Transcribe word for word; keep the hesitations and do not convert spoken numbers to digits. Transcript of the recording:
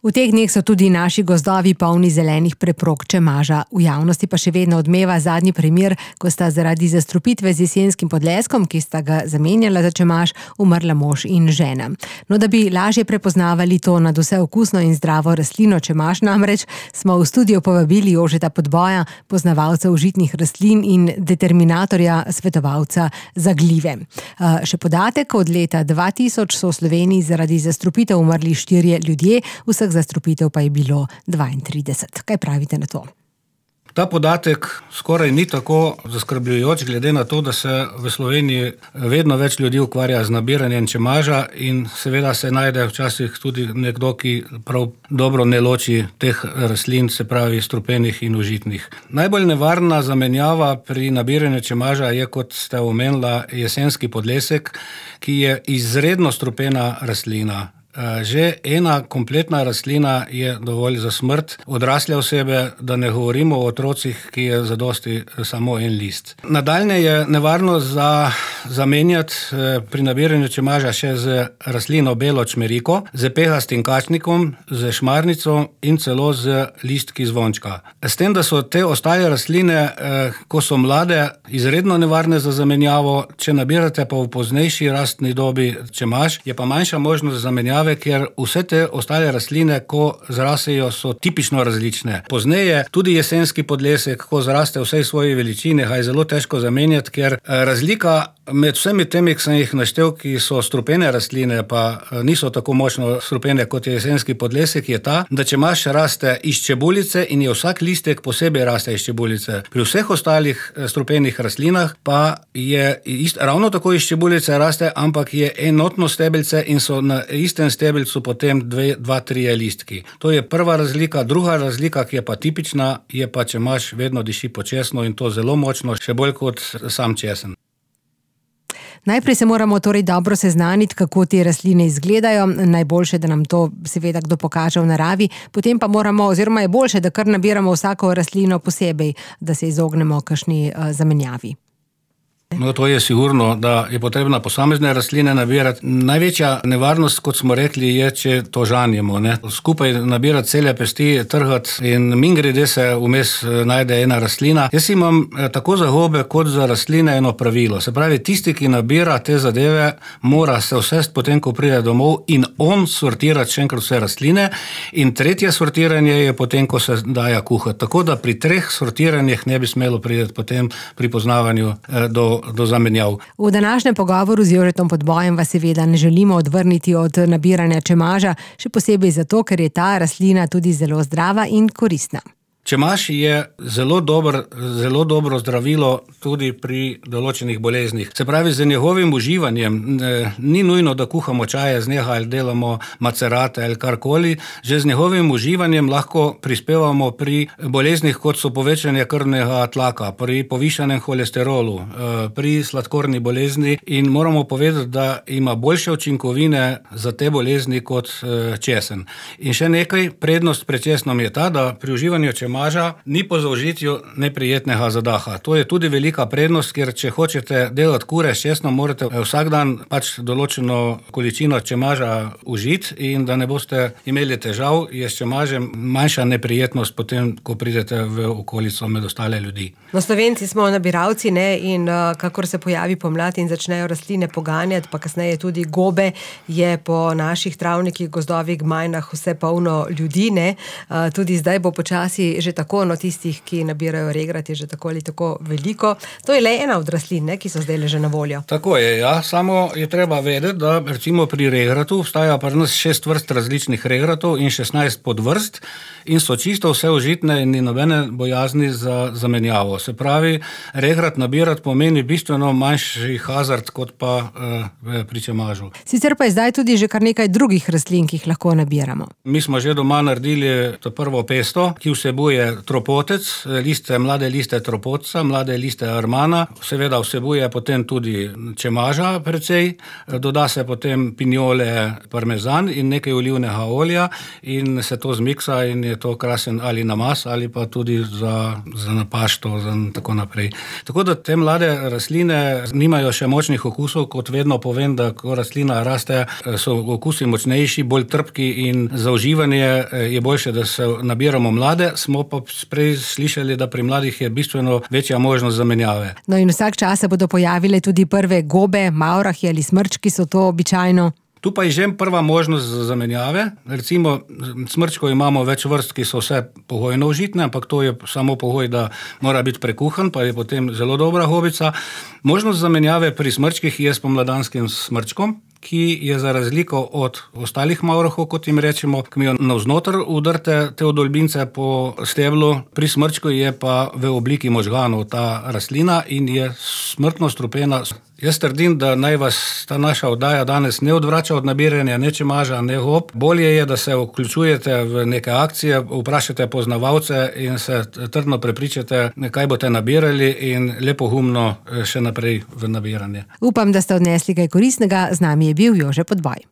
V teh dneh so tudi naši gozdovi polni zelenih preprog čemaža. V javnosti pa še vedno odmeva zadnji primer, ko sta zaradi zastrupitve z jesenskim podleskom, ki sta ga zamenjala za čemaž, umrla mož in žena. No, da bi lažje prepoznavali to nadvse okusno in zdravo rastlino čemaž namreč, smo v studio povabili Jožeta Podboja, poznavalca užitnih rastlin in determinatorja, svetovalca za glive. Še podatek, od leta dva tisoč so v Sloveniji zaradi zastrupitev umrli štirje ljudje, vseh zastrupitev pa je bilo dvaintrideset. Kaj pravite na to? Ta podatek skoraj ni tako zaskrbljujoč, glede na to, da se v Sloveniji vedno več ljudi ukvarja z nabiranjem čemaža in seveda se najde včasih tudi nekdo, ki prav dobro ne loči teh rastlin, se pravi strupenih in užitnih. Najbolj nevarna zamenjava pri nabiranju čemaža je, kot ste omenila, jesenski podlesek, ki je izredno strupena rastlina. Že ena kompletna rastlina je dovolj za smrt odrasle osebe, da ne govorimo o otrocih, ki je zadosti samo en list. Nadaljne je nevarno za zamenjati pri nabiranju čemaža še z rastlino belo čmeriko, z pehastim kačnikom, z šmarnico in celo z listki zvončka. S tem, da so te ostale rastline, ko so mlade, izredno nevarne za zamenjavo, če nabirate pa v poznejši rastni dobi čemaž, je pa manjša možnost zamenjave, ker vse te ostale rastline, ko zrasejo, so tipično različne. Pozneje tudi jesenski podlesek, ko zraste v vsej svoji veličini, ga je zelo težko zamenjati, ker razlika med vsemi temi, ki sem jih naštel, ki so strupene rastline, pa niso tako močno strupene, kot je jesenski podlesek, je ta, da čemaž raste iz čebulice in je vsak listek posebej raste iz čebulice. Pri vseh ostalih strupenih rastlinah pa je ist, ravno tako iz čebulice raste, ampak je enotno stebelce in so na istem stebelcu potem dve, dva, trije listki. To je prva razlika. Druga razlika, ki je pa tipična, je pa čemaž vedno diši po česnu in to zelo močno, še bolj kot sam česen. Najprej se moramo torej dobro seznaniti, kako te rastline izgledajo. Najboljše, da nam to seveda kdo pokaže v naravi. Potem pa moramo, oziroma je boljše, da kar nabiramo vsako rastlino posebej, da se izognemo kakšni uh, zamenjavi. No, to je sigurno, da je potrebna posamezne rastline nabirati. Največja nevarnost, kot smo rekli, je, če to žanjemo, ne. Skupaj nabirati cele pesti, trhati in mingrede se vmes najde ena rastlina. Jaz imam tako za gobe kot za rastline eno pravilo. Se pravi, tisti, ki nabira te zadeve, mora se vsest potem, ko pride domov in on sortirati še enkrat vse rastline. In tretje sortiranje je potem, ko se daja kuhati. Tako da pri treh sortiranjih ne bi smelo priti potem pri poznavanju do do zamenjav. V današnjem pogovoru z Jožetom Podbojem vas seveda ne želimo odvrniti od nabiranja čemaža, še posebej zato, ker je ta rastlina tudi zelo zdrava in koristna. Čemaž je zelo dober, zelo dobro zdravilo tudi pri določenih boleznih. Se pravi, z njegovim uživanjem ni nujno, da kuhamo čaje z njega ali delamo macerate ali karkoli. Že z njegovim uživanjem lahko prispevamo pri boleznih, kot so povečanje krvnega tlaka, pri povišanem holesterolu, pri sladkorni bolezni in moramo povedati, da ima boljše učinkovine za te bolezni kot česen. In še nekaj, prednost pred česnom je ta, da pri uživanju čemaža ni po zaužitju neprijetnega zadaha. To je tudi velika prednost, ker če hočete delati kure s česnom, morate vsak dan pač določeno količino čemaža užiti in da ne boste imeli težav, je s čemažem manjša neprijetnost potem, ko pridete v okolico med ostale ljudi. No, Slovenci smo nabiralci, ne, in uh, kakor se pojavi pomlad in začnejo rastline poganjati, pa kasneje tudi gobe, je po naših travnikih, gozdovih, gmajnah vse polno ljudi, ne. Uh, tudi zdaj bo počasi že tako, no tistih, ki nabirajo regrat, je že tako ali tako veliko. To je le ena od rastlin, ne, ki so zdaj že na voljo. Tako je, ja. Samo je treba vedeti, da recimo pri regratu obstaja pri nas šest vrst različnih regratov in šestnajst podvrst in so čisto vse užitne in ni nobene bojazni za zamenjavo. Se pravi, regrat nabirati pomeni bistveno manjši hazard kot pa uh, pri čemažu. Sicer pa je zdaj tudi že kar nekaj drugih rastlin, ki jih lahko nabiramo. Mi smo že doma naredili to prvo pesto, ki vsebuje vsebuje tropotec, liste, mlade liste tropotca, mlade liste armana, seveda vsebuje potem tudi čemaža precej, doda se potem pinjole, parmezan in nekaj olivnega olja in se to zmiksa in je to krasen ali namaz ali pa tudi za, za napašto, za tako naprej. Tako da te mlade rastline nimajo še močnih okusov, kot vedno povem, da ko rastlina raste, so okusi močnejši, bolj trpki in za uživanje je boljše, da se nabiramo mlade, smo pa prej slišali, da pri mladih je bistveno večja možnost zamenjave. No in vsak čas se bodo pojavile tudi prve gobe, mavrahi ali smrčki, so to običajno? Tu pa je že prva možnost za zamenjave. Recimo, smrčkov imamo več vrst, ki so vse pogojno užitne, ampak to je samo pogoj, da mora biti prekuhan, pa je potem zelo dobra gobica. Možnost zamenjave pri smrčkih je s pomladanskim smrčkom, ki je za razliko od ostalih mavrahov, kot jim rečemo, ki mi jo navznoter udrte te odolbince po steblu, pri smrčku je pa v obliki možganov ta rastlina in je smrtno strupena. Jaz trdim, da naj vas ta naša oddaja danes ne odvrača od nabiranja ne čemaža, ne gob. Bolje je, da se vključujete v neke akcije, vprašate poznavalce in se trdno prepričate, kaj boste nabirali in lepo humno še naprej v nabiranje. Upam, da ste odnesli kaj koristnega. Z nami je bil Jože Podboj.